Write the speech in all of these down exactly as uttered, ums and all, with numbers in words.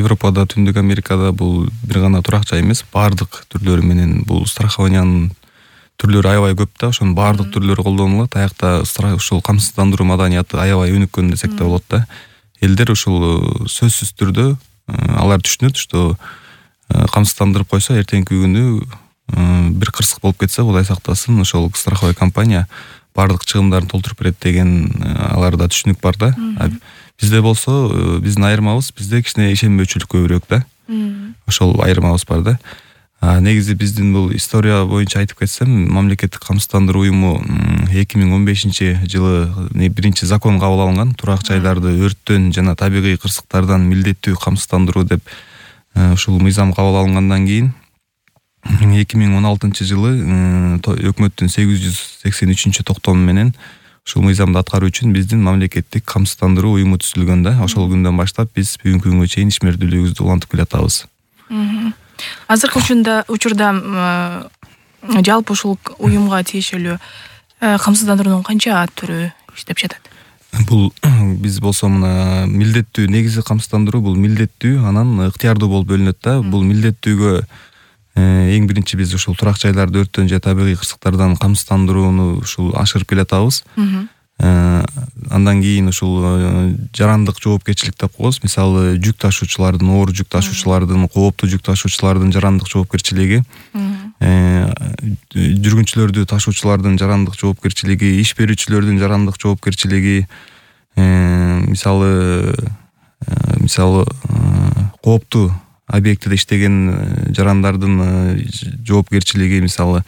Европада, Түндүк Америкада бул бир гана турак жай эмес, бардык түрлөрү менен бул страхованиянын түрлөрү аябай көп да, ошонун бардык түрлөрү колдонулат. Аякта ушул камсыздандыруу маданияты аябай өнүккөн десек да болот да. Элдер ушул сөзсүз түрдө алар түшүнөт, что камсыздандырып койсо эртеңки күнү бир кырсык болуп кетсе, Кудай сактасын, ошол страховой компания бардык чыгымдарын толтуруп берет деген аларда түшүнүк бар да. Бизде болсо, биздин айырмабыз, бизде кичине ишенбөөчүлүк көбүрөөк да. Ошол айырмабыз бар да. Негизи биздин бул история боюнча айтып кетсем, мамлекеттик камсыздандыруу уюму эки миң он бешинчи жылы биринчи закон кабыл алынган. Турак жайларды өрттөн жана табигый кырсыктардан милдеттүү камсыздандыруу деп ушул мыйзам кабыл алынгандан кийин эки миң он алтынчы жылы өкмөттүн сегиз жүз сексен үчүнчү токтому менен ушул мыйзамды аткаруу үчүн биздин мамлекеттик камсыздандыруу уюму түзүлгөн да. Ошол күндөн баштап биз бүгүнкү күнгө чейин ишмердүүлүгүбүздү улантып келатабыз. Азыркы учурда учурда жалпы ушул уюмга тиешелүү камсыздандыруунун канча түрү иштеп жатат? Бул биз болсо мына милдеттүү негизи камсыздандыруу бул милдеттүү, анан ыктыярдуу болуп бөлүнөт да. Бул милдеттүүгө эң биринчи биз ушул турак жайларды өрттөн же табигый кырсыктардан камсыздандырууну ушул ашырып келатабыз. Андан кийин ушул жарандык жоопкерчилик деп коебуз. Мисалы, жүк ташуучулардын, оор жүк ташуучулардын, кооптуу жүк ташуучулардын жарандык жоопкерчилиги, жүргүнчүлөрдү ташуучулардын жарандык жоопкерчилиги, иш берүүчүлөрдүн жарандык жоопкерчилиги, мисалы, мисалы кооптуу объектиде иштеген жарандардын жоопкерчилиги, мисалы,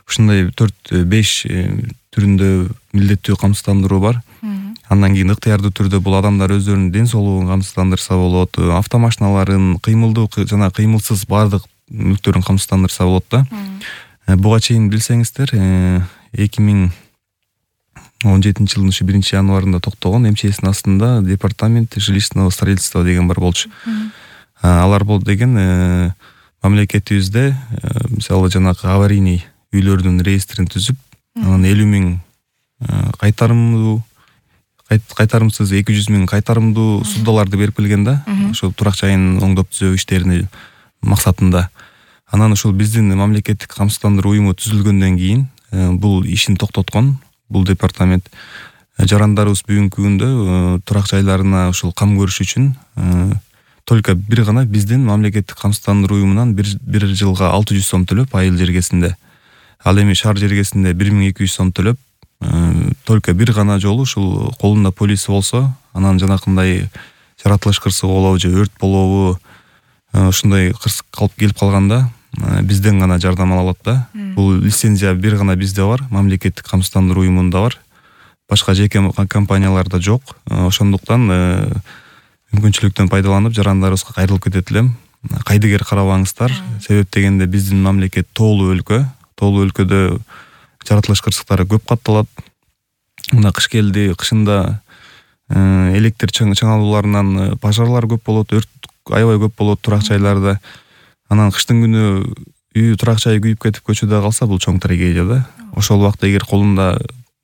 ушундай төрт беш түрүндө милдеттүү камсыздандыруу бар. Андан кийин ыктыярдуу түрдө бул адамдар өздөрүнүн ден соолугун камсыздандырса болот, автомашиналарын, кыймылдуу жана кыймылсыз бардык мүлктөрүн камсыздандырса болот да. Буга чейин билсеңиздер, эки миң он жетинчи жылдын ушу биринчи январында токтогон эм че эстин астында департамент жилищного строительства деген бар болчу. Алар бол деген мамлекетибизде мисалы жанагы аварийный үйлөрдүн реестрин түзүп, анан элүү миң кайтарымдуу кайтарымсыз эки жүз миң кайтарымдуу суддаларды берип келген да. Ошол турак жайын оңдоп түзөө иштерини максатында. Анан ушул биздин мамлекеттик камсыздандыруу уюму түзүлгөндөн кийин бул ишин токтоткон бул департамент. Жарандарыбыз бүгүнкү күндө турак жайларына ушул кам көрүш үчүн только бир гана биздин мамлекеттик камсыздандыруу уюмунан бир бир жылга алты жүз сом төлөп айыл жергесинде. Ал эми шаар жергесинде бир миң эки жүз сом төлөп, только бир гана жолу ушул колунда полиси болсо, анан жанакындай жаратылыш кырсыгы болобу же өрт болобу, ушундай кырсык калып келип калганда бизден гана жардам ала алат да. Бул лицензия бир гана бизде бар, мамлекеттик камсыздандыруу уюмунда бар. Башка жеке компанияларда жок. Ошондуктан мүмкүнчүлүктөн пайдаланып жарандарыбызга кайрылып кетет элем. Кайдыгер карабаңыздар. Себеп дегенде биздин мамлекет тоолуу өлкө. Тоолуу өлкөдө жаратылыш кырсыктары көп катталат. Мына кыш келди, кышында электр чыңалууларынан пожарлар көп болот, өрт аябай көп болот турак жайларда. Анан кыштын күнү үй турак жай күйүп кетип көчөдө калса, бул чоң трагедия да. Ошол убакта эгер колунда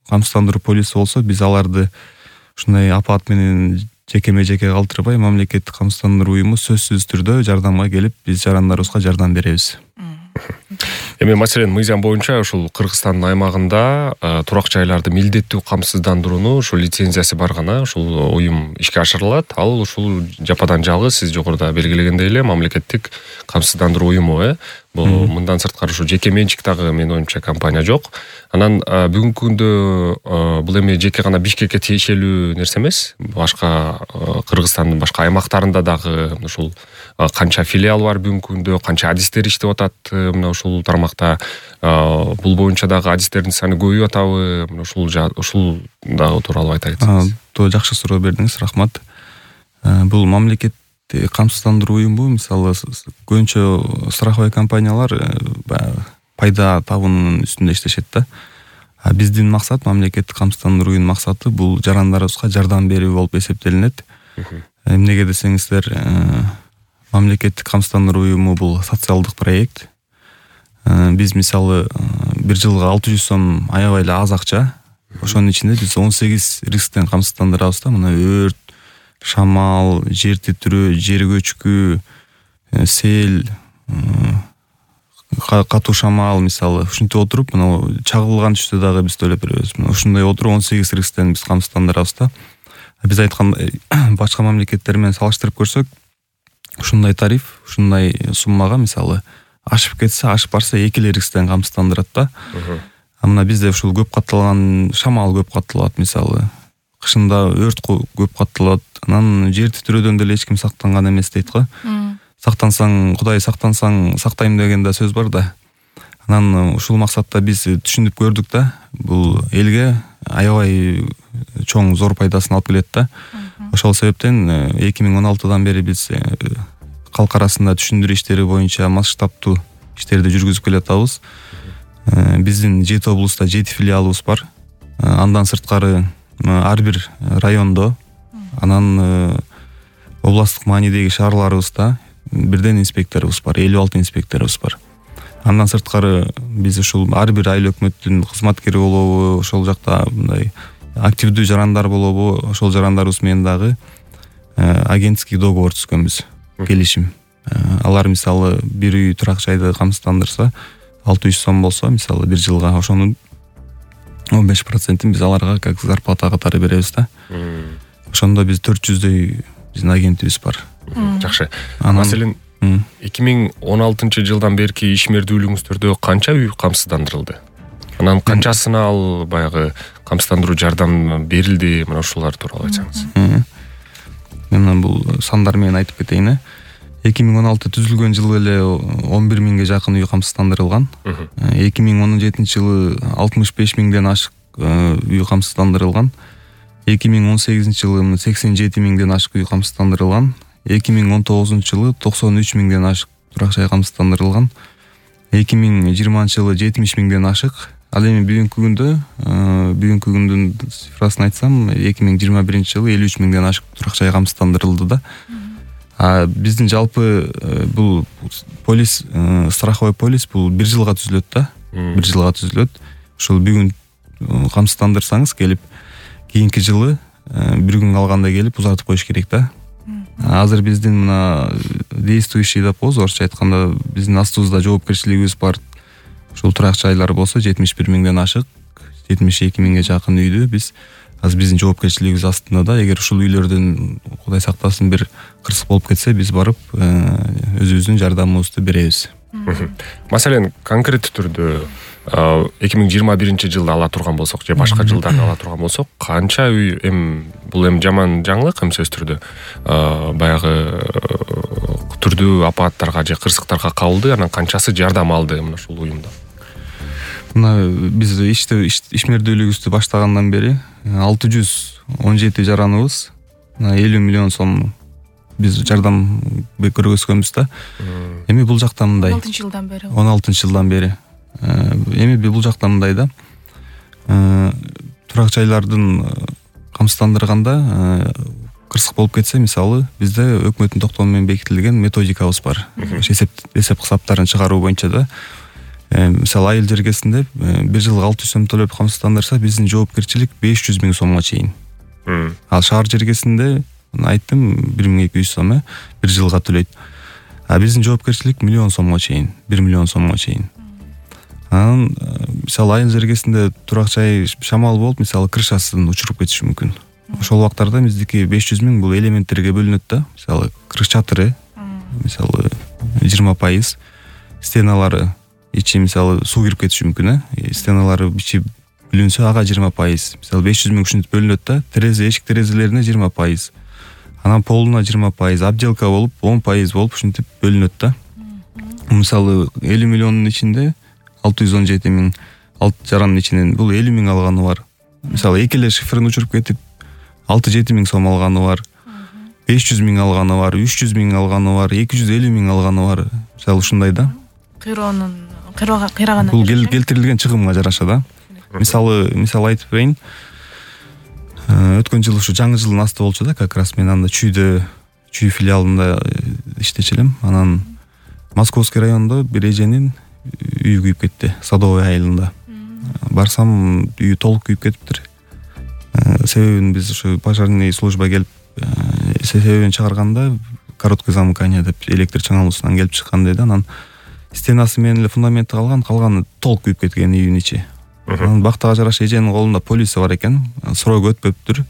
камсыздандыруу полиси болсо, биз аларды ушундай апат менен жекеме жеке калтырбай, мамлекеттик камсыздандыруу уюму сөзсүз түрдө жардамга келип, биз жарандарыбызга жардам беребиз. Эми маселен мыйзам боюнча ушул Кыргызстандын аймагында турак жайларды милдеттүү камсыздандырууну ушул лицензиясы бар гана ушул уюм ишке ашырылат. Ал ушул жападан жалгыз сиз жогоруда белгилегендей эле мамлекеттик камсыздандыруу уюму, э. Бул мындан сырткары ушу жеке менчик дагы менин оюмча компания жок. Анан бүгүнкү күндө бул эми жеке гана Бишкекке тиешелүү нерсе эмес. Башка Кыргызстандын башка аймактарында дагы ушул канча филиал бар бүгүнкү күндө, канча адистер иштеп атат мына ушул тармакта. Бул боюнча дагы адистердин саны көбөйүп атабы? Мына ушул ушул дагы тууралуу айта кетсеңиз. То жакшы суроо бердиңиз, рахмат. Бул мамлекет камсыздандыруу уюму, мисалы, көбүнчө страховой компаниялар пайда табуунун үстүндө иштешет да. А биздин максат, мамлекеттик камсыздандыруу уюмунун максаты бул жарандарыбызга жардам берүү болуп эсептелинет. Эмнеге десеңиздер, мамлекеттик камсыздандыруу уюму бул социалдык проект. Биз мисалы бир жылга алты жүз сом аябай эле аз акча. Ошонун ичинде биз он сегиз рисктен камсыздандырабыз да. Мына өрт, шамал, жер титирөө, жер көчкү, сел, катуу шамал мисалы ушинтип отуруп мына чагылган түштө дагы биз төлөп беребиз. Мына ушундай отуруп он сегиз рисктен биз камсыздандырабыз да. Биз айткандай башка мамлекеттер менен салыштырып көрсөк, ушундай тариф, ушундай суммага мисалы ашып кетсе, ашып барса эки эле рисктен камсыздандырат да. А мына бизде ушул көп катталган шамал көп катталат мисалы. Кышында өрт көп катталат. Анан жер титирөөдөн деле эч ким сактанган эмес дейт го. Сактансаң, Кудай сактансаң, сактайм деген да сөз бар да. Анан ушул максатта биз түшүнүп көрдүк да, бул элге аябай чоң зор пайдасын алып келет да. Ошол себептен эки миң он алтыдан бери биз калк арасында түшүндүрүү иштери боюнча масштабтуу иштерди жүргүзүп келатабыз. Биздин жети облуста жети филиалыбыз бар. Андан сырткары ар бир райондо, анан областтык маанидеги шаарларыбызда бирден инспекторубуз бар, элүү алты инспекторубуз бар. Андан сырткары биз ушул ар бир айыл өкмөттүн кызматкери болобу, ошол жакта мындай активдүү жарандар болобу, ошол жарандарыбыз менен дагы агентский договор түзгөнбүз, келишим. Алар мисалы бир үй турак жайды камсыздандырса, алты жүз сом болсо, мисалы бир жылга ошонун он беш процентин биз аларга как зарплата катары беребиз да. Ошондо биз төрт жүздөй биздин агентибиз бар. Жакшы. Маселен эки миң он алтынчы жылдан берки ишмердүүлүгүңүздөрдө канча үй камсыздандырылды? Анан канчасына ал баягы камсыздандыруу жардам берилди? Мына ушулар тууралуу айтсаңыз. Мен бул сандар менен айтып кетейин. эки миң он алты түзүлгөн жылы эле он бир миңге жакын үй камсыздандырылган. эки миң он жетинчи жылы алтымыш беш миңден ашык үй камсыздандырылган. эки миң он сегизинчи жылы сексен жети миңден ашык үй камсыздандырылган. эки миң он тогузунчу жылы токсон үч миңден ашык турак жай камсыздандырылган. эки миң жыйырманчы жылы жетимиш миңден ашык. Ал эми бүгүнкү күндө, бүгүнкү күндүн цифрасын айтсам, эки миң жыйырма биринчи жылы элүү үч миңден ашык турак жай камсыздандырылды да. А биздин жалпы бул полис, страховой полис бул бир жылга түзүлөт да. бир жылга түзүлөт. Ушул бүгүн камсыздандырсаңыз келип, кийинки жылы бир күн калганда келип узартып коюш керек да. Азыр биздин мына действующий деп коебуз, орусча айтканда биздин астыбызда жоопкерчилигибиз бар. Ушул турак жайлар болсо жетимиш бир миңден ашык, жетимиш эки миңге жакын үйдү биз азыр биздин жоопкерчилигибиз астында да. Эгер ушул үйлөрдөн Кудай сактасын бир кырсык болуп кетсе, биз барып өзүбүздүн жардамыбызды беребиз. Маселен, конкреттүү түрдө эки миң жыйырма биринчи жылда ала турган болсок же башка жылдарда ала турган болсок, канча үй эм бул эм жаман жаңылык эм сөз түрдө баягы түрдүү апаттарга же кырсыктарга кабылды, анан канчасы жардам алды мына ушул уюмда? Мына биз ишти ишмердүүлүгүбүздү баштагандан бери алты жүз он жети жараныбыз элүү миллион сом биз жардам көргөзгөнбүз да. Эми бул жакта мындай он алтынчы жылдан бери. он алтынчы жылдан бери. Эми бул жакта мындай да. Турак жайлардын камсыздандырганда кырсык болуп кетсе, мисалы бизде өкмөттүн токтому менен бекитилген методикабыз бар. Эсеп эсеп кысаптарын чыгаруу боюнча да. Мисалы айыл жергесинде бир жылга алты жүз сом төлөп камсыздандырса, биздин жоопкерчилик беш жүз миң сомго чейин. Ал шаар жергесинде айттым бир миң эки жүз сом бир жылга төлөйт. А биздин жоопкерчилик миллион сомго чейин, бир миллион сомго чейин. Анан мисалы айыл жергесинде турак жай шамал болуп, мисалы крышасын учуруп кетиши мүмкүн. Ошол убактарда биздики беш жүз миң бул элементтерге бөлүнөт да. Мисалы крыш чатыры, мисалы жыйырма пайыз, стеналары ичи мисалы суу кирип кетиши мүмкүн, э. Стеналары ичи бүлүнсө ага жыйырма пайыз. Мисалы беш жүз миң ушинтип бөлүнөт да. Терезе, эшик терезелерине жыйырма пайыз. Анан полуна жыйырма пайыз, обделка болуп он пайыз болуп ушинтип бөлүнөт да. Мисалы элүү миллиондун ичинде алты жүз он жети миң алты жарандын ичинен бул элүү миң алганы бар. Мисалы эки эле шифрын учуруп кетип алты жети миң сом алганы бар. беш жүз миң алганы бар, үч жүз миң алганы бар, эки жүз элүү миң алганы бар. Мисалы ушундай да. Кыйроонун кыйрагандан бул келтирилген чыгымга жараша да. Мисалы, мисалы айтып берейин. Өткөн жыл ушу жаңы жылдын асты болчу да, как раз мен анда Чүйдө, Чүй филиалында иштечү элем. Анан Московский районунда бир эженин үйү күйүп кетти, Садовый айылында. Барсам үйү толук күйүп кетиптир. Себебин биз ушу пожарный служба келип себебин чыгарганда короткое замыкание деп электр чыңалуусунан келип чыккан деди. Анан стенасы менен эле фундаменти калган, калганы толук күйүп кеткен үйдүн ичи. Анан бактага жараша эженин колунда полиция бар экен, сроогу өтпөптүр.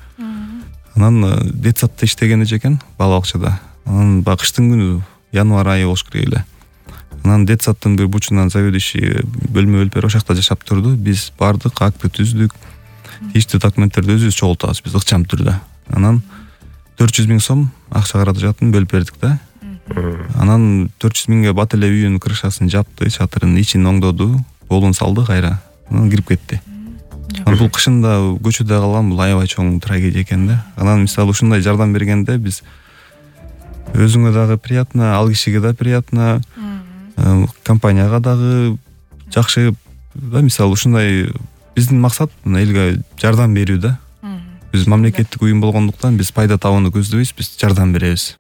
Анан детсадта иштеген эже экен, бала бакчада. Анан баягы кыштын күнү, январь айы болуш керек эле. Анан детсадтын бир бурчунан заведующий бөлмө бөлүп берип ошакта жашап турду. Биз бардык, акты түздүк. Тийиштүү документтерди өзүбүз чогултабыз биз ыкчам түрдө. Анан төрт жүз миң сом акча каражатын бөлүп бердик да. Анан төрт жүз миңге бат эле үйүнүн крышасын жапты, чатырын ичин оңдоду, болун салды кайра. Анан кирип кетти. Анан бул кышында көчөдө калган, бул аябай чоң трагедия экен да. Анан мисалы ушундай жардам бергенде биз өзүңө дагы приятно, ал кишиге да приятно, компанияга дагы жакшы да. Мисалы ушундай биздин максат элге жардам берүү да. Биз мамлекеттик уюм болгондуктан биз пайда табууну көздөбөйбүз, биз жардам беребиз.